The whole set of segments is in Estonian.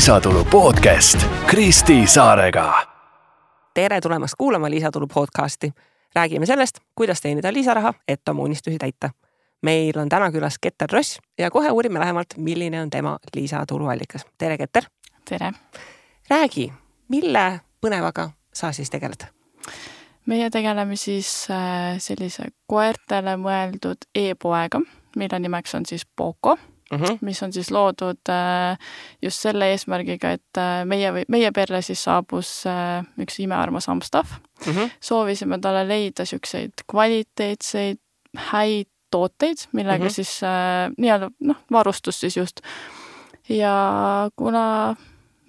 Lisatulu podcast Kristi Saarega. Tere tulemast kuulama Lisatulu podcasti. Räägime sellest, kuidas teenida lisaraha, et oma unistusi täita. Meil on täna külas Keter Ross ja kohe uurime lähemalt, milline on tema lisatuluallikas. Tere, Keter! Tere! Räägi, mille põnevaga sa siis tegeled? Meie tegeleme siis sellise koertele mõeldud e-poega, mille nimeks on siis Poco, mis on siis loodud just selle eesmärgiga, et meie perle siis saabus üks imearmas hamstav. Soovisime talle leida selliseid kvaliteetseid, häid tooteid, millega siis varustus siis just. Ja kuna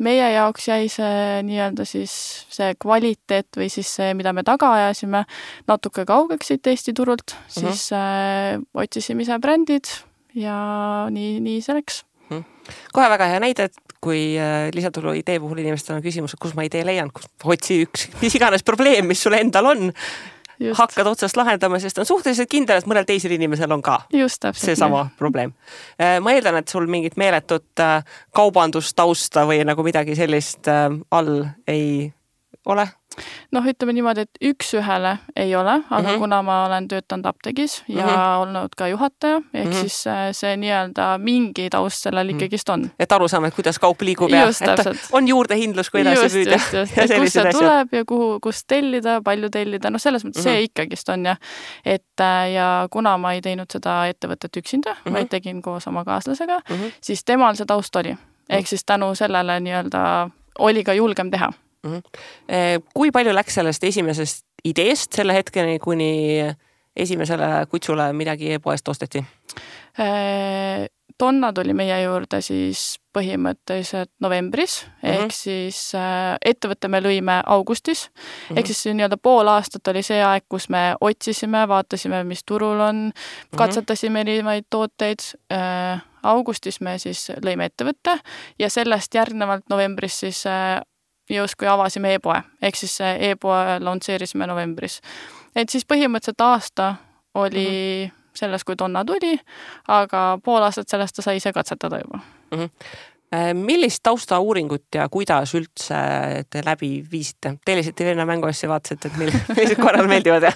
meie jaoks jäi see nii-öelda siis see kvaliteet või siis see, mida me taga ajasime, natuke kaugeks siit Eesti turult, siis otsisime ise brändid ja nii see läks. Kohe väga hea näide, et kui lisatulu idee puhul inimestel on küsimus, et kus ma idee leian, kus otsi üks, mis iganes probleem, mis sul endal on, hakkad otsast lahendama, sest on suhteliselt kindel, et mõnel teisel inimesel on ka see sama probleem. Ma eeldan, et sul mingit meeletut kaubandustausta või nagu midagi sellist all ei ole? Ütleme niimoodi, et üks-ühele ei ole, aga kuna ma olen töötanud apteegis ja olnud ka juhataja, ehk siis see nii-öelda mingi taust sellel ikkagist on. Et aru saame, et kuidas kaup liigub ja et on juurdehindlus, kui edasi püüda. Just. Kus see tuleb ja kus tellida, palju tellida, selles mõttes see ikkagist on ja. Ja kuna ma ei teinud seda ettevõtet üksinda, vaid tegin koos oma kaaslasega, siis temal see taust oli. Ehk siis tänu sellele nii-öelda oli ka julgem teha. Kui palju läks sellest esimesest ideest selle hetkeni, kuni esimesele kutsule midagi e-poest osteti? Tonna tuli meie juurde siis põhimõtteliselt novembris, ehk siis ettevõtte me lõime augustis, ehk siis nii-öelda pool aastat oli see aeg, kus me otsisime, vaatasime, mis turul on, katsetasime erinevaid tooteid. Augustis me siis lõime ettevõtte ja sellest järgnevalt novembris siis kui avasime e-poe, ehk siis e-poe launcheerisime novembris. Et siis põhimõtteliselt aasta oli selles, kui tonna tuli, aga pool aastat sellest ta sai ise katsetada juba. Millist taustauuringut ja kuidas üldse te läbi viisite? Tellisite Venna mänguasja vaatasite, et millised korral meeldivad?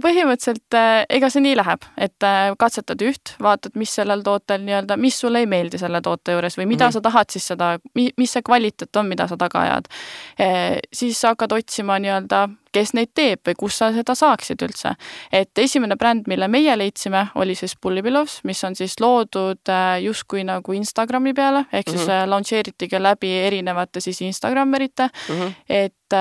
Põhimõtteliselt ega see nii läheb, et katsetad üht, vaatad, mis sellel tootel nii-öelda, mis sulle ei meeldi selle toote juures või mida sa tahad siis seda, mis see kvaliteet on, mida sa taga ajad. Siis hakkad otsima nii-öelda, kes neid teeb või kus sa seda saaksid üldse. Et esimene bränd, mille meie leidsime, oli siis Pullipilovs, mis on siis loodud justkui nagu Instagrami peale, ehk siis launcheeritigi läbi erinevate siis Instagrammerite, et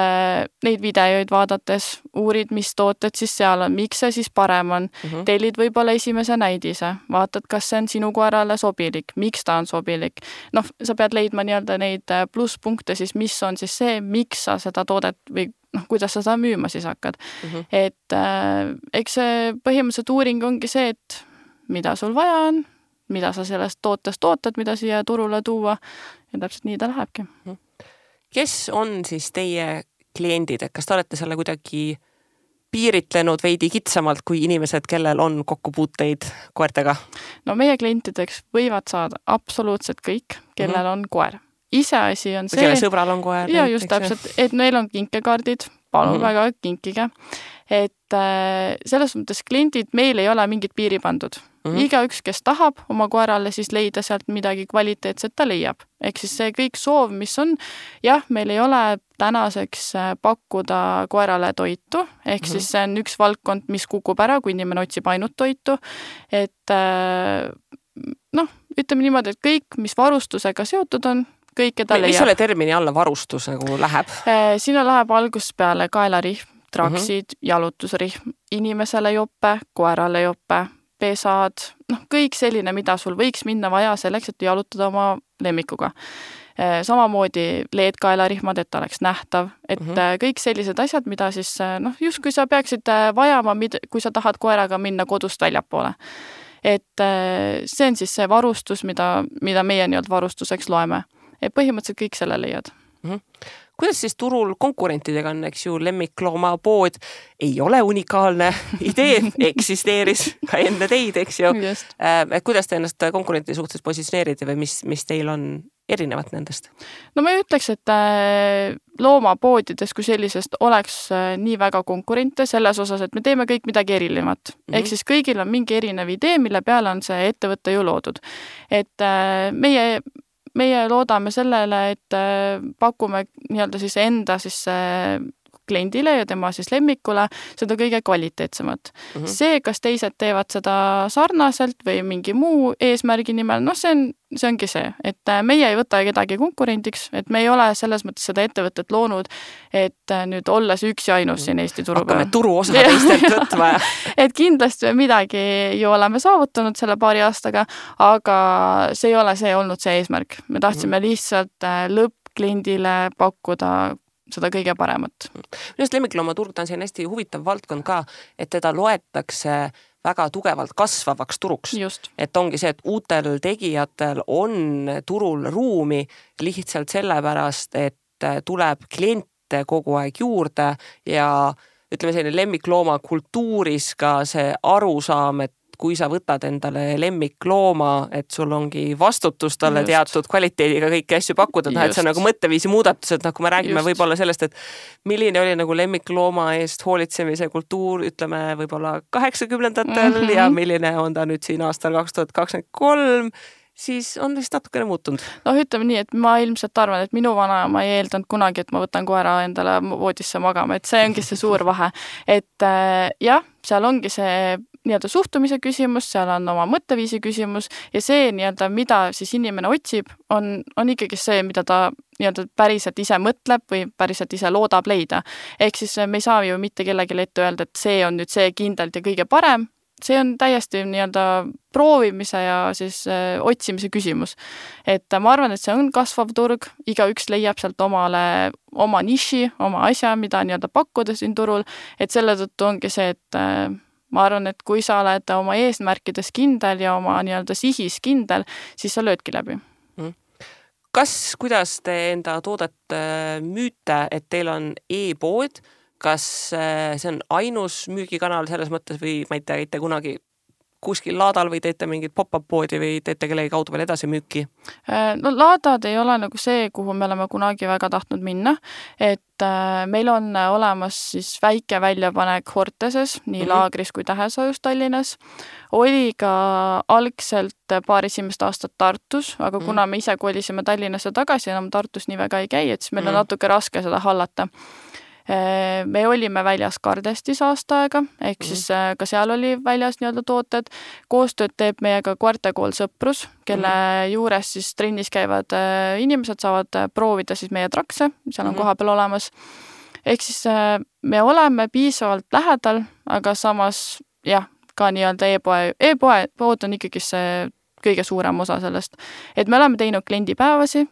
neid videoid vaadates uurid, mis tooted siis seal on, miks see siis parem on, tellid võib-olla esimese näidise, vaatad, kas see on sinu koerale sobilik, miks ta on sobilik. Sa pead leidma nii-öelda neid plusspunkte siis, mis on siis see, miks sa seda toodet või kuidas sa seda müüma siis hakkad. Et eks see põhimõtteliselt uuring ongi see, et mida sul vaja on, mida sa sellest tootest ootad, mida siia turule tuua ja täpselt nii ta lähebki. Kes on siis teie kliendid, et kas te olete selle kuidagi piiritlenud veidi kitsamalt kui inimesed, kellel on kokkupuuteid koertega? Meie klientideks võivad saada absoluutselt kõik, kellel on koer. Iseasi on see, kelle sõbral on koer. Ja just täpselt, et neil on kinkekaardid, palun väga kinkige. Et selles mõttes kliendid meil ei ole mingit piiri pandud. Iga üks, kes tahab oma koerale siis leida sealt midagi kvaliteetset, ta leiab. Ehk siis see kõik soov, mis on, meil ei ole tänaseks pakkuda koerale toitu, ehk siis see on üks valdkond, mis kukub ära, kui inimene otsib ainult toitu, et ütleme niimoodi, et kõik, mis varustusega seotud on, kõike ta leiab. Mis selle termini alla varustus nagu läheb? Sinna läheb algusest peale kaelarihm, traksid, jalutusrihm, inimesele jope, koerale jope, pesad, kõik selline, mida sul võiks minna vaja selleks, et jalutada oma lemmikuga. Samamoodi LED-kaelarihmad, et ta oleks nähtav, et kõik sellised asjad, mida siis, just kui sa peaksid vajama, kui sa tahad koeraga minna kodust väljapoole. Et see on siis see varustus, mida meie nii-öelda varustuseks loeme. Et põhimõtteliselt kõik selle leiad. Kuidas siis turul konkurentidega on, eks ju, lemmiklooma pood ei ole unikaalne idee, eksisteeris ka enne teid, eks ju. Kuidas te ennast konkurentide suhtes positsioneerite või mis teil on erinevat nendest? No ma ei ütleks, et loomapoodides kui sellisest oleks nii väga konkurente selles osas, et me teeme kõik midagi erinevat. Ehk siis kõigil on mingi erinev idee, mille peale on see ettevõte ju loodud. Et meie loodame sellele, et pakume nii-öelda siis enda siis kliendile ja tema siis lemmikule seda kõige kvaliteetsemat. See, kas teised teevad seda sarnaselt või mingi muu eesmärgi nimel, noh, see ongi see, et meie ei võta kedagi konkurendiks, et me ei ole selles mõttes seda ettevõtet loonud, et nüüd olles üks ja ainus siin Eesti turu peal. Hakkame turuosa teistelt võtma. Et kindlasti midagi ju oleme saavutanud selle paari aastaga, aga see ei ole olnud see eesmärk. Me tahtsime lihtsalt lõppkliendile pakkuda seda kõige paremat. Minust lemmikloomaturg on siin hästi huvitav valdkond ka, et teda loetakse väga tugevalt kasvavaks turuks. Just. Et ongi see, et uutel tegijatel on turul ruumi lihtsalt sellepärast, et tuleb kliente kogu aeg juurde ja ütleme selline lemmiklooma kultuuris ka see arusaam, et kui sa võtad endale lemmiklooma, et sul ongi vastutus talle teatud kvaliteediga kõiki asju pakkuda, et see on nagu mõtteviisi muudatused, kui me räägime võib-olla sellest, et milline oli nagu lemmiklooma eest hoolitsemise kultuur, ütleme võib-olla 80-ndatel ja milline on ta nüüd siin aastal 2023, siis on vist natukene muutunud. No ütleme nii, et ma ilmselt arvan, et minu vanaema ei eeldanud kunagi, et ma võtan koera endale voodisse magama, et see ongi see suur vahe. Et jah, seal ongi see nii-öelda suhtumise küsimus, seal on oma mõtteviisi küsimus ja see nii-öelda, mida siis inimene otsib, on ikkagi see, mida ta nii-öelda päriselt ise mõtleb või päriselt ise loodab leida. Ehk siis me ei saa ju mitte kellegi ette öelda, et see on nüüd see kindlalt ja kõige parem. See on täiesti nii-öelda proovimise ja siis otsimise küsimus. Et ma arvan, et see on kasvav turg, igaüks leiab sealt oma niši, oma asja, mida nii-öelda pakkuda siin turul, et selle tõttu ongi see, et ma arvan, et kui sa oled oma eesmärkides kindel ja oma nii-öelda sihis kindel, siis sa löödki läbi. Kuidas te enda toodet müüte, et teil on e-pood? Kas see on ainus müügikanal selles mõttes või ma ei tea, teete kunagi kuskil laadal või teete mingit pop-up poodi või teete kellegi kaudu veel edasi müüki? No laadad ei ole nagu see, kuhu me oleme kunagi väga tahtnud minna, et meil on olemas siis väike väljapanek Horteses, nii Laagris kui Tähesajus Tallinnas. Oli ka algselt paar esimest aastat Tartus, aga kuna me ise kolisime Tallinnasse tagasi, enam Tartus nii väga ei käi, et siis meil on natuke raske seda hallata. Me olime väljas Kardestis aasta aega, ehk siis ka seal oli väljas nii-öelda tooted. Koostööd teeb meiega Koertekool Sõprus, kelle juures siis trennis käivad inimesed saavad proovida siis meie trakse, seal on koha peal olemas. Ehk siis me oleme piisavalt lähedal, aga samas jah, ka nii-öelda e-pood on ikkagi see kõige suurem osa sellest. Et me oleme teinud kliendipäevasi,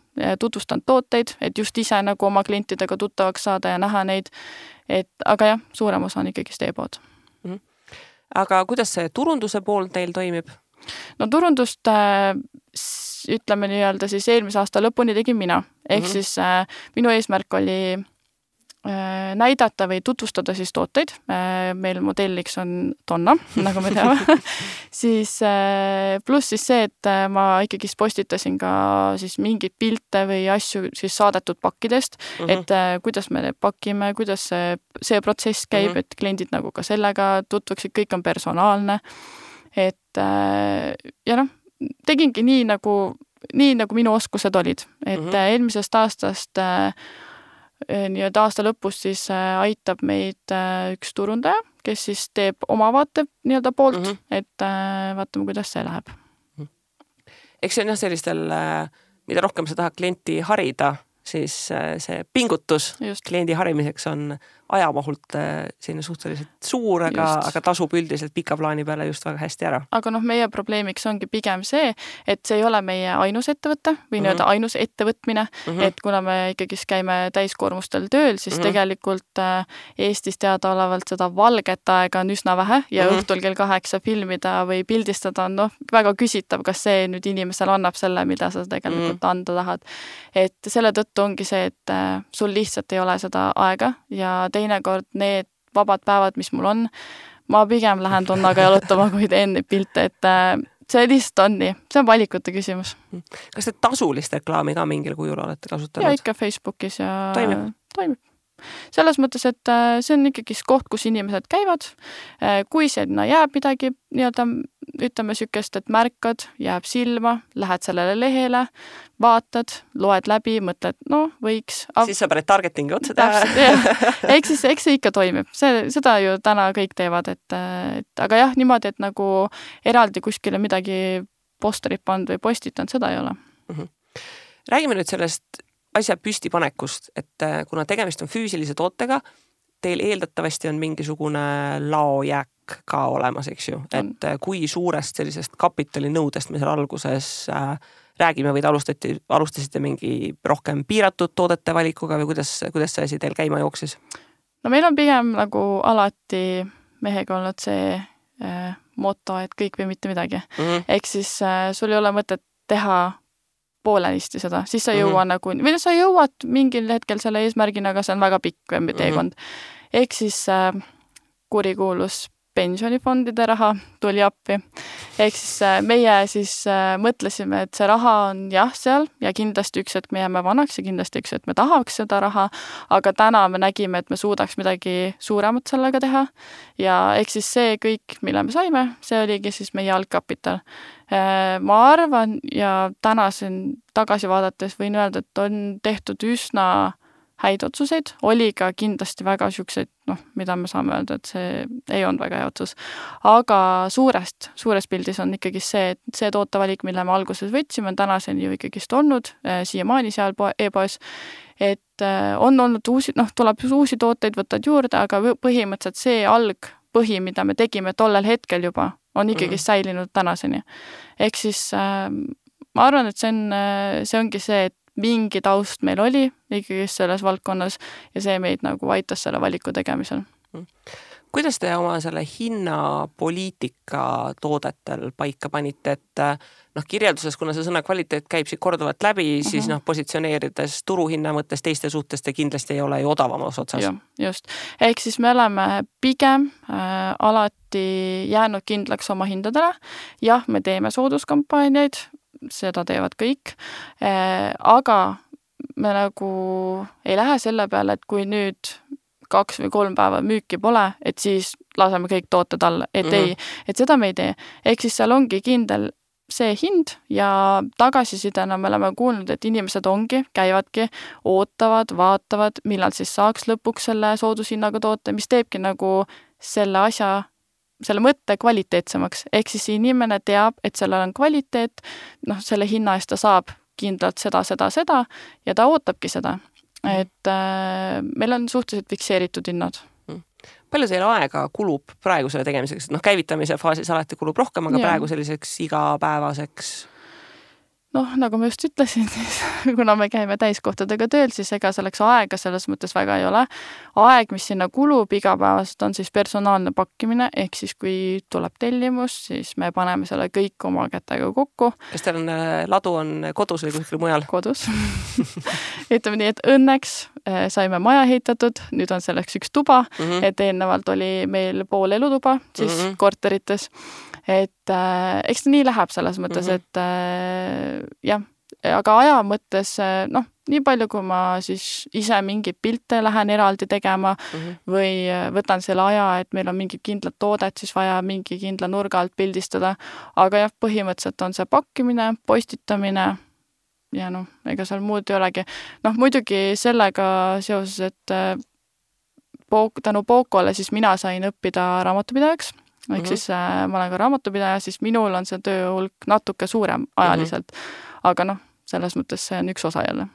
tutvustanud tooteid, et just ise nagu oma klientidega tuttavaks saada ja näha neid. Aga jah, suurem osa on ikkagi e-pood. Aga kuidas see turunduse pool teil toimib? No turundust ütleme nii-öelda siis eelmise aasta lõpuni tegin mina. Ehk siis minu eesmärk oli näidata või tutvustada siis tooteid. Meil modelliks on Donna, nagu me teame. Siis pluss siis see, et ma ikkagi postitasin ka siis mingid pilte või asju siis saadetud pakkidest, et kuidas me pakime, kuidas see protsess käib, et kliendid nagu ka sellega tutvuksid, kõik on personaalne. Et ja noh, tegingi nii nagu minu oskused olid. Et eelmisest aastast nii-öelda aasta lõpus siis aitab meid üks turundaja, kes siis teeb oma vaate nii-öelda poolt, et vaatame, kuidas see läheb. Eks see on jah sellistel, mida rohkem sa tahad klienti harida, siis see pingutus kliendi harimiseks on ajamahult selline suhteliselt suur, aga tasub üldiselt pika plaani peale just väga hästi ära. Aga meie probleemiks ongi pigem see, et see ei ole meie ainus ettevõte või nii-öelda ainus ettevõtmine, et kuna me ikkagi käime täiskoormustel tööl, siis tegelikult Eestis teadaolevalt seda valget aega on üsna vähe ja õhtul kell 8 filmida või pildistada on väga küsitav, kas see nüüd inimesel annab selle, mida sa tegelikult anda tahad. Et selle tõttu ongi see, et sul lihtsalt ei ole seda aega ja teinekord need vabad päevad, mis mul on, ma pigem lähen Donnaga jalutama, kui teen neid pilte, et see lihtsalt on nii, see on valikute küsimus. Kas te tasulist reklaami ka mingil kujul olete kasutanud? Ja ikka Facebookis ja toimib. Selles mõttes, et see on ikkagi koht, kus inimesed käivad. Kui sinna jääb midagi, ütleme sükest, et märkad, jääb silma, lähed sellele lehele, vaatad, loed läbi, mõtled, võiks. Siis sa paned targetingi otsa teha. Eks see ikka toimib. Seda ju täna kõik teevad, aga jah, niimoodi, et nagu eraldi kuskile midagi posterit pannud või postitanud, seda ei ole. Räägime nüüd sellest asja püstipanekust, et kuna tegemist on füüsilise tootega, teil eeldatavasti on mingisugune laojääk ka olemas, eks ju, et kui suurest sellisest kapitalinõudest me seal alguses räägime või te alustasite mingi rohkem piiratud toodete valikuga või kuidas see asi teil käima jooksis? No meil on pigem nagu alati mehega olnud see moto, et kõik või mitte midagi. Ehk siis sul ei ole mõtet teha poolenisti seda, siis sa jõua või sa jõuad mingil hetkel selle eesmärgina, aga see on väga pikk teekond. Ehk siis kurikuulus pensionifondide raha tuli appi. Ehk siis meie siis mõtlesime, et see raha on jah seal ja kindlasti üks hetk me jääme vanaks ja kindlasti üks hetk me tahaks seda raha, aga täna me nägime, et me suudaks midagi suuremat sellega teha ja ehk siis see kõik, mille me saime, see oligi siis meie algkapital. Ma arvan ja täna siin tagasi vaadates võin öelda, et on tehtud üsna häid otsuseid, oli ka kindlasti väga siukseid, mida me saame öelda, et see ei olnud väga hea otsus. Aga suures pildis on ikkagi see, et see tootevalik, mille me alguses võtsime, on tänaseni ju ikkagist olnud siiamaani seal e-poes, et on olnud tuleb uusi tooteid, võtad juurde, aga põhimõtteliselt see algpõhi, mida me tegime tollel hetkel juba, on ikkagi säilinud tänaseni. Ehk siis ma arvan, et see ongi see, et mingi taust meil oli ikkagi selles valdkonnas ja see meid nagu aitas selle valiku tegemisel. Kuidas te oma selle hinnapoliitika toodetel paika panite, et kirjelduses, kuna see sõna kvaliteet käib siit korduvalt läbi, siis positsioneerides turuhinna mõttes teiste suhtes te kindlasti ei ole ju odavamas otsas. Just. Ehk siis me oleme pigem alati jäänud kindlaks oma hindadele. Jah, me teeme sooduskampaaniaid, seda teevad kõik, aga me nagu ei lähe selle peale, et kui nüüd 2 või 3 päeva müüki pole, et siis laseme kõik tooted alla, et ei, et seda me ei tee. Ehk siis seal ongi kindel see hind ja tagasisidena me oleme kuulnud, et inimesed käivadki, ootavad, vaatavad, millal siis saaks lõpuks selle soodushinnaga toote, mis teebki nagu selle mõtte kvaliteetsemaks. Ehk siis inimene teab, et sellel on kvaliteet, selle hinna eest ta saab kindlalt seda ja ta ootabki seda. Et meil on suhteliselt fikseeritud hinnad. Palju teil aega kulub praegu selle tegemiseks? Käivitamise faasis alati kulub rohkem, aga praegu selliseks igapäevaseks? Nagu ma just ütlesin, siis kuna me käime täiskohtadega tööl, siis ega selleks aega selles mõttes väga ei ole. Aeg, mis sinna kulub igapäevaselt, on siis personaalne pakkimine, ehk siis kui tuleb tellimus, siis me paneme selle kõik oma kätega kokku. Kas teil ladu on kodus või kuskil mujal? Kodus. Ütleme nii, et õnneks saime maja ehitatud, nüüd on selleks üks tuba, et eelnevalt oli meil pool elutuba siis korterites. Et eks ta nii läheb selles mõttes, et jah, aga aja mõttes, nii palju, kui ma siis ise mingeid pilte lähen eraldi tegema või võtan selle aja, et meil on mingid kindlad toodet, siis vaja mingi kindla nurga alt pildistada, aga jah, põhimõtteliselt on see pakkimine, postitamine ja ega seal muud ei olegi. Muidugi sellega seoses, et tänu Pokole siis mina sain õppida raamatupidajaks. Ehk siis ma olen ka raamatupidaja, siis minul on see tööhulk natuke suurem ajaliselt. Aga selles mõttes see on üks osa jälle.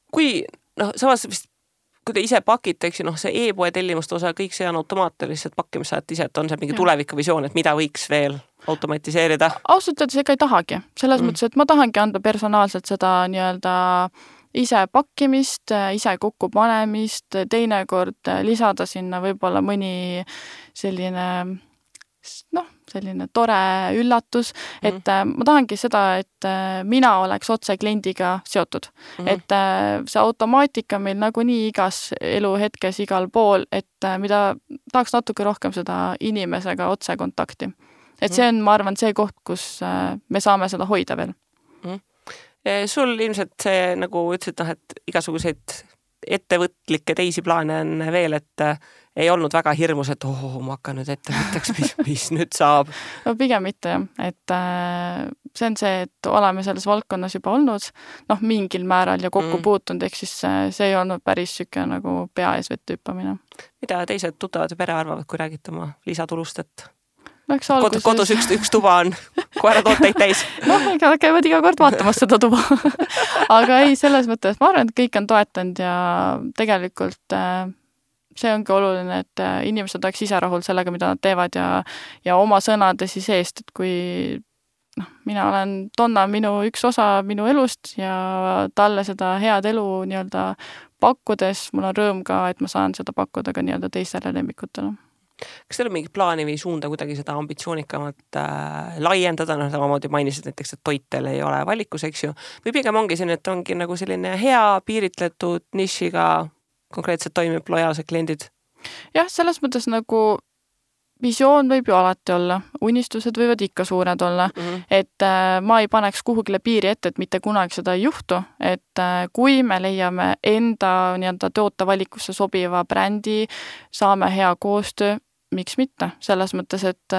Kui, samas vist, kui te ise pakite, eks ju, see e-poe tellimuste osa, kõik see on automaatilist pakkimisajat ise, et on see mingi tulevikuvisioon, et mida võiks veel automatiseerida? Ausalt öeldes ega ei tahagi. Selles mõttes, et ma tahangi anda personaalselt seda nii-öelda ise pakkimist, ise kokku panemist, teinekord lisada sinna võib-olla mõni selline tore üllatus, et ma tahangi seda, et mina oleks otse kliendiga seotud. Et see automaatika meil nagunii igas eluhetkes igal pool, et mida tahaks natuke rohkem seda inimesega otse kontakti. et see on, ma arvan, see koht, kus me saame seda hoida veel. Sul ilmselt see, nagu ütlesid, et igasuguseid ettevõtlikke teisi plaane on veel, et ei olnud väga hirmus, et ma hakkan nüüd ettevõtteks, mis nüüd saab? No pigem mitte jah, et see on see, et oleme selles valdkonnas juba olnud, mingil määral ja kokku puutunud, ehk siis see ei olnud päris süke nagu pea ees vette hüppamine. Mida teised tuttavad ja pere arvavad, kui räägite oma lisatulust, et kodus üks tuba on koeratooteid täis? Ega käivad iga kord vaatamas seda tuba. Aga ei, selles mõttes, ma arvan, et kõik on toetanud ja tegelikult see ongi oluline, et inimesed oleks ise rahul sellega, mida nad teevad ja oma sõnade siis eest, et kui Donna on minu üks osa minu elust ja talle seda head elu nii-öelda pakkudes, mul on rõõm ka, et ma saan seda pakkuda ka nii-öelda teistele lemmikutele. Kas teil on mingi plaani või suunda kuidagi seda ambitsioonikamat laiendada, samamoodi mainisid näiteks, et toitel ei ole valikus, eks ju, või pigem ongi selline, et ongi nagu selline hea piiritletud nišiga konkreetselt toimib lojaalsed kliendid? Jah, selles mõttes nagu visioon võib ju alati olla, unistused võivad ikka suured olla, et ma ei paneks kuhugile piiri ette, et mitte kunagi seda ei juhtu, et kui me leiame enda nii-öelda tootevalikusse sobiva brändi, saame hea koostöö, miks mitte, selles mõttes, et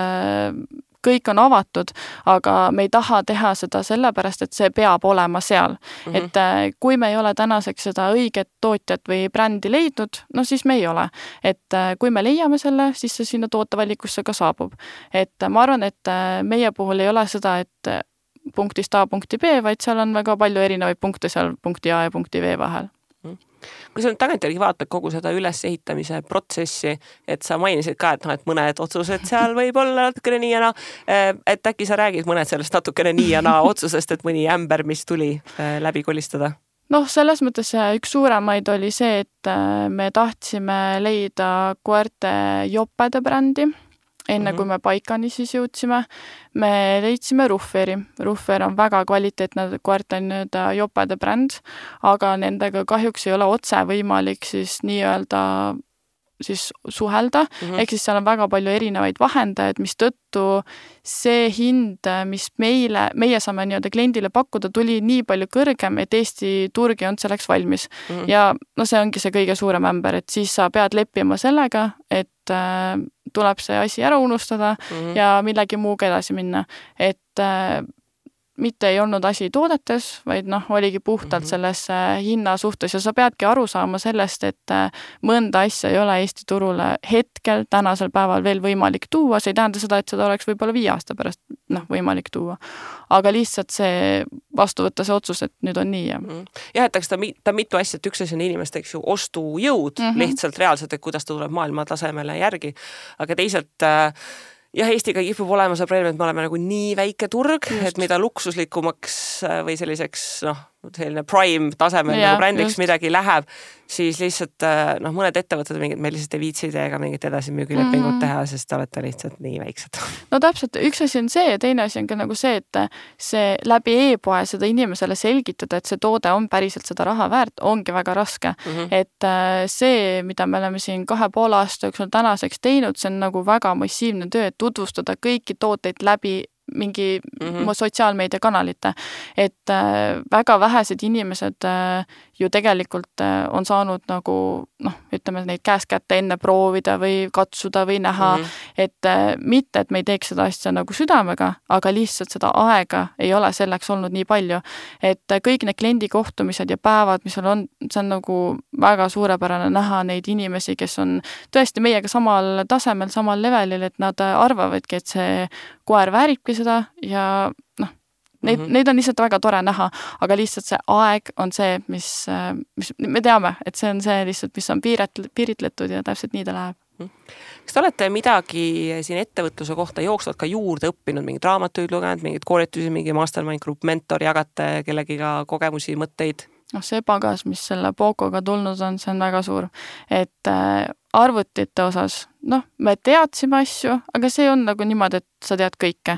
kõik on avatud, aga me ei taha teha seda sellepärast, et see peab olema seal. Et kui me ei ole tänaseks seda õiget tootjat või brändi leidnud, siis me ei ole. Et kui me leiame selle, siis see sinna tootevalikusse ka saabub. Et ma arvan, et meie puhul ei ole seda, et punktist A punkti B, vaid seal on väga palju erinevaid punkte seal punkti A ja punkti V vahel. Kui sa nüüd tagantjärgi vaatad kogu seda ülesehitamise protsessi, et sa mainisid ka, et mõned otsused seal võib olla natukene nii ja naa, et äkki sa räägid mõned sellest natukene nii ja naa otsusest, et mõni ämber, mis tuli läbi kolistada? Selles mõttes üks suuremaid oli see, et me tahtsime leida koerte jopede brändi. Enne kui me paikani siis jõudsime, me leidsime Rufferi. Ruffer on väga kvaliteetne koerte jopede bränd, aga nendega kahjuks ei ole otse võimalik siis nii-öelda siis suhelda, ehk siis seal on väga palju erinevaid vahendajaid, mis tõttu see hind, mis meie saame nii-öelda kliendile pakkuda, tuli nii palju kõrgem, et Eesti turg ei olnud selleks valmis. Ja see ongi see kõige suurem ämber, et siis sa pead leppima sellega, et tuleb see asi ära unustada ja millegi muuga edasi minna. Et mitte ei olnud asi toodetes, vaid oligi puhtalt selles hinna suhtes ja sa peadki aru saama sellest, et mõnda asja ei ole Eesti turule hetkel tänasel päeval veel võimalik tuua, see ei tähenda seda, et seda oleks võib-olla 5 aasta pärast võimalik tuua. Aga lihtsalt see vastu võtta see otsus, et nüüd on nii. Jah, et ta mitu asja, et üks asi on inimeste, eks ju, ostujõud lihtsalt reaalselt, et kuidas ta tuleb maailma tasemele järgi, aga teisalt jah, Eestiga kipub olema see probleem, et me oleme nagu nii väike turg, et mida luksuslikumaks või selliseks, selline prime tasemel nagu brändiks midagi läheb, siis lihtsalt mõned ettevõtted meil lihtsalt ei viitsi teiega mingit edasimüügilepingut teha, sest te olete lihtsalt nii väiksed. No täpselt, üks asi on see ja teine asi on ka nagu see, et see läbi e-poe seda inimesele selgitada, et see toode on päriselt seda raha väärt, ongi väga raske. Et see, mida me oleme siin 2,5 aasta jooksul tänaseks teinud, see on nagu väga massiivne töö, et tutvustada kõiki tooteid läbi mingi sotsiaalmeediakanalite, et väga vähesed inimesed ju tegelikult on saanud nagu, ütleme neid käest kätte enne proovida või katsuda või näha, et mitte, et me ei teeks seda asja nagu südamega, aga lihtsalt seda aega ei ole selleks olnud nii palju, et kõik need kliendikohtumised ja päevad, mis on, see on nagu väga suurepärane näha neid inimesi, kes on tõesti meiega samal tasemel, samal levelil, et nad arvavadki, et see koer vääribki seda ja neid on lihtsalt väga tore näha, aga lihtsalt see aeg on see, mis me teame, et see on see lihtsalt, mis on piiritletud ja täpselt nii ta läheb. Kas te olete midagi siin ettevõtluse kohta jooksvalt ka juurde õppinud, mingid raamatuid lugenud, mingid koolitusi, mingi mastermind group, mentor, jagate kellegiga kogemusi, mõtteid? See pagas, mis selle Pocoga tulnud on, see on väga suur. Et arvutite osas, me teadsime asju, aga see on nagu niimoodi, et sa tead kõike.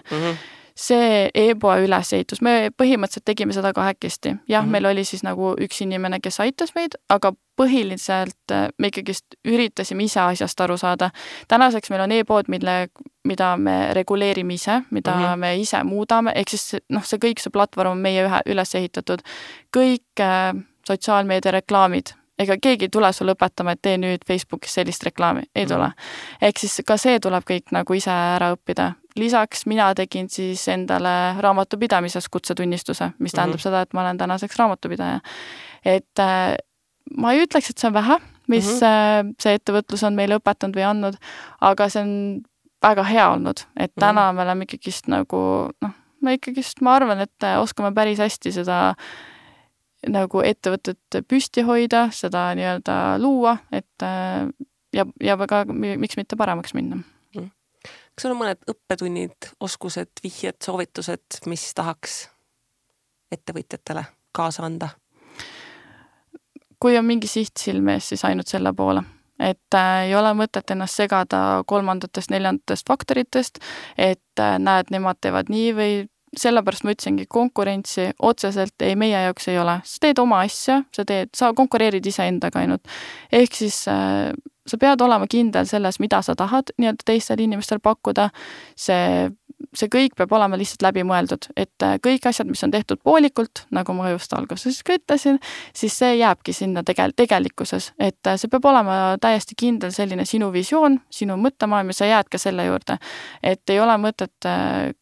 See e-poe ülesehitus, me põhimõtteliselt tegime seda kahekesti. Jah, meil oli siis nagu üks inimene, kes aitas meid, aga põhiliselt me ikkagist üritasime ise asjast aru saada. Tänaseks meil on e-pood, mille mida me reguleerime ise, mida me ise muudame, ehk siis see kõik see platvorm on meie üles ehitatud. Kõik sotsiaalmeedia reklaamid, ega keegi ei tule sulle õpetama, et tee nüüd Facebookis sellist reklaami, ei tule. Ehk siis ka see tuleb kõik nagu ise ära õppida. Lisaks mina tegin siis endale raamatupidamises kutsetunnistuse, mis tähendab seda, et ma olen tänaseks raamatupidaja. Et ma ei ütleks, et see on vähe, mis see ettevõtlus on meile õpetanud või andnud, aga see on väga hea olnud, et täna me oleme ikkagist nagu, ma arvan, et oskame päris hästi seda nagu ettevõtet püsti hoida, seda nii-öelda luua, et ja väga, miks mitte paremaks minna. Kas sul on mõned õppetunnid, oskused, vihjed, soovitused, mis tahaks ettevõtjatele kaasa anda? Kui on mingi siht silme ees, siis ainult selle poole. Et ei ole mõtet ennast segada 3., 4. faktoritest, et näed, nemad teevad nii või sellepärast ma ütlesingi, konkurentsi otseselt meie jaoks ei ole. Sa teed oma asja, sa konkureerid ise endaga ainult. Ehk siis sa pead olema kindel selles, mida sa tahad nii-öelda teistel inimestel pakkuda. See kõik peab olema lihtsalt läbi mõeldud, et kõik asjad, mis on tehtud poolikult, nagu ma just alguses ka ütlesin, siis see jääbki sinna tegelikkuses, et see peab olema täiesti kindel selline sinu visioon, sinu mõttemaailm ja sa jääd ka selle juurde, et ei ole mõtet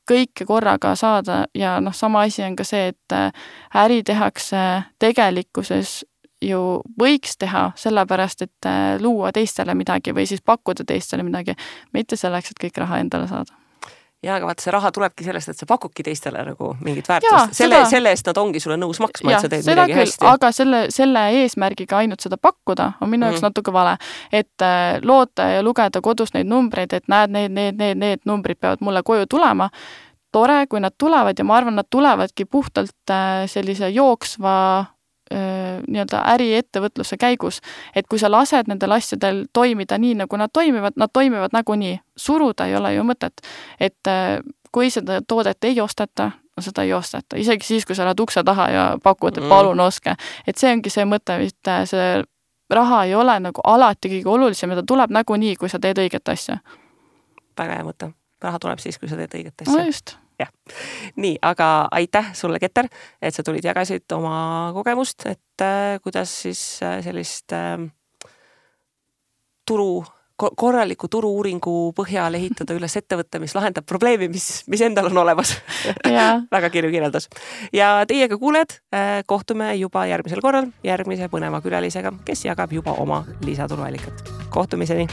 kõike korraga saada ja sama asi on ka see, et äri tehakse tegelikkuses ju võiks teha sellepärast, et luua teistele midagi või siis pakkuda teistele midagi, mitte selleks, et kõik raha endale saada. Ja, aga vaata, see raha tulebki sellest, et sa pakudki teistele nagu mingit väärtust. Selle eest nad ongi sulle nõus maksma, et sa teed midagi hästi. Aga selle eesmärgiga ainult seda pakkuda on minu jaoks natuke vale. Et loota ja lugeda kodus neid numbreid, et näed, need numbrid peavad mulle koju tulema. Tore, kui nad tulevad ja ma arvan, nad tulevadki puhtalt sellise jooksva nii-öelda äriettevõtluse käigus, et kui sa lased nendel asjadel toimida nii, nagu nad toimivad nagunii. Suruda ei ole ju mõtet, et kui seda toodet ei osteta, seda ei osteta. Isegi siis, kui sa oled ukse taha ja pakud, et palun oske. Et see ongi see mõte, et see raha ei ole nagu alati kõige olulisem, ta tuleb nagunii, kui sa teed õiget asja. Väga hea mõte. Raha tuleb siis, kui sa teed õiget asja. No just. Ja. Nii, aga aitäh sulle, Keter, et sa tulid jagasid oma kogemust, et kuidas siis sellist korraliku turu-uuringu põhjal ehitada üles ettevõtte, mis lahendab probleemi, mis endal on olemas. Väga kirju kirjeldas. Ja teiega kuuled, kohtume juba järgmisel korral järgmise põneva külalisega, kes jagab juba oma lisaturuallikat. Kohtumiseni!